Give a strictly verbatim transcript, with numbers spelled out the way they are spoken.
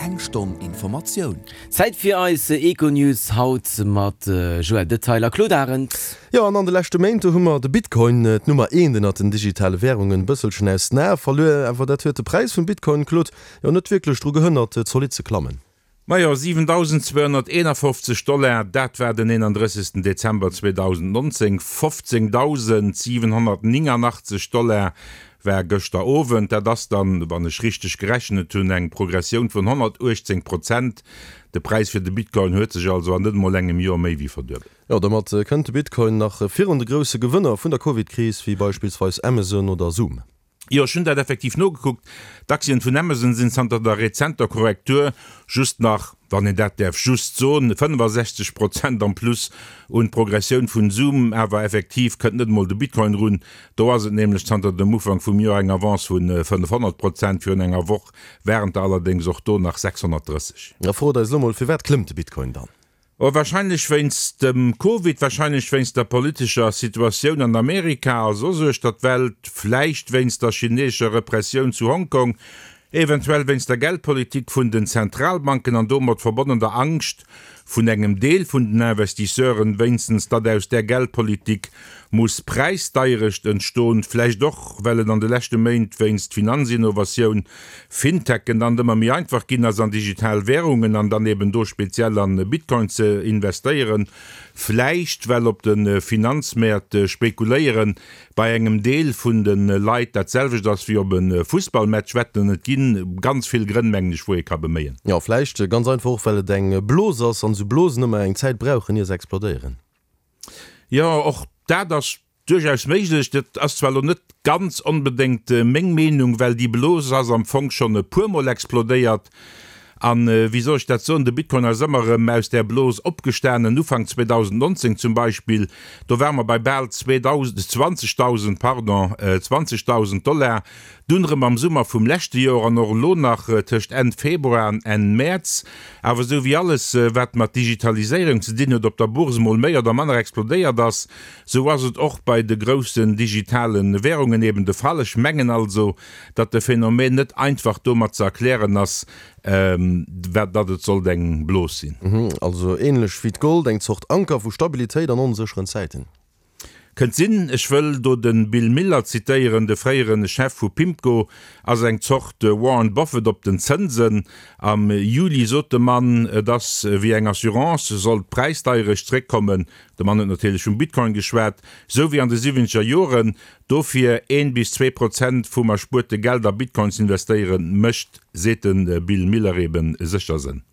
Eng Stonn Informatioun. Zäit fir eis Econews haut mat Joël Detail a Claude Arend. Jo, an an de leschte Méint, do hu mer de Bitcoin, d'Nummer eent ënnert den digitale Wärungen, e bësselchen aus den Ae verluer. Awer dat huet de Präis vum Bitcoin, Claude, jo net wierklech dru gehënnert, zolidd ze klammen. Majo, siwentausendzweehonnerteenafofzeg Dollar, dat war den eenandrëssegsten Dezember zweedausendnonzéng. Fofzéngdausendsiwenhonnertnéngannachtzeg Dollar war gëschter Owend. Dat ass dann, wann ech richteg gerechnet hunn, eng Progressioun vun honnertuechtzéng Prozent. De Präis fir de Bitcoin huet sech also an net emol engem Joer méi wéi verduebelt. Jo, domat kënnt de Bitcoin nach virun de grousse Gewënner vun der Covid-Kris, wéi beispillsweis Amazon oder Zoom. Jo, ech hunn dat effektiv nogekuckt. D'Aktien vun Amazon sinn zanter der rezenter Korrektur just nach, wann een dat däerf just soen, fënnefasechzeg Prozent am Plus. Un d'Progressioun vun Zoom awer effektiv kënnt net emol de Bitcoin run. Do ass et nämlech zanter dem Ufank vum Joer eng Avance vu fënnefhonnert Prozent, virun enger Woch waren et der allerdéngs och do nach sechshonnertdrësseg. Da frot eis elo mol, Firwat klëmmt de Bitcoin dann? Oh, wahrscheinlech wéinst dem Covid, wahrscheinlech wéinst der politescher Situatioun an Amerika a soss uechter d'Welt, vläicht wéinst der chineesescher Repressioun zu Hongkong, eventuell wéinst der Geldpolitik vun den Zentralbanken an domat verbonnen der Angscht vun engem Deel vun den Investisseuren, wéinstens, datt aus där Geldpolitik muss Präisdeierecht entstoen, vläicht och, well et an de leschte Méint wéinst Finanzinnovatioun, Fintechen, dann ëmmer méi einfach ginn ass, an digital Währungen an dann eben do speziell an Bitcoin ze investéieren, vläicht well op de Finanzmäert spekuléieren bei engem Deel vun de Leit dat selwecht ass wéi op e Fussballmatch wetten. Et gi ganz vill Grënn, mengen ech, wou ee ka beméien. Jo, vläicht ganz einfach och, well et eng Blos ass an esou Blosen ëmmer eng Zäit brauchen, ier se explodéieren. Jo, och dat ass duerchaus méiglech. Dat ass zwar elo net ganz onbedéngt meng Meenung, well déi Blos ass am Fong schonn e puermol explodéiert. An, wéi soll ech dat soen, de Bitcoin ass ëmmer erëm aus där Blos opgestanen. Ufank zweedausendnonzéng zum Beispill, do ware mer bei bal zweedausend, zwanzegdausend, pardon, zwanzegdausend Dollar. Dunn erëm am Summer vum leschte Joer an och elo nach tëscht Enn Februar an Enn Mäerz. Awer esou wéi alles, wat mat Digitaliséierung ze dinn huet, op der Bourse mol méi oder manner explodéiert ass, esou ass et och bei de groussen digitale Währungen eben de Fall. Ech mengen also, datt de Phänomen net einfach domat ze erklären ass, datt et sollt eng Blos sinn. Also ähnlech wéi d'Gold, eng Zort Anker vu Stabilitéit an onsécheren Zäiten. Kënnt sinn. Ech wëll do de Bill Miller zitéieren, de fréiere Chef vu Pimco ass eng Zort Warren Buffett op den Zënsen. Am Juli sot de Mann, et ass wéi eng Assurance, sollt d'Präisdeierecht zréckkommen, de Mann huet natierlech vum Bitcoin geschwat, sou wéi an de siwwenzeger Joren. Dofir een bis zwee Prozent vum erspuerte Geld a Bitcoins investéieren, mécht, seet de Bill Miller, eben sécher Sënn.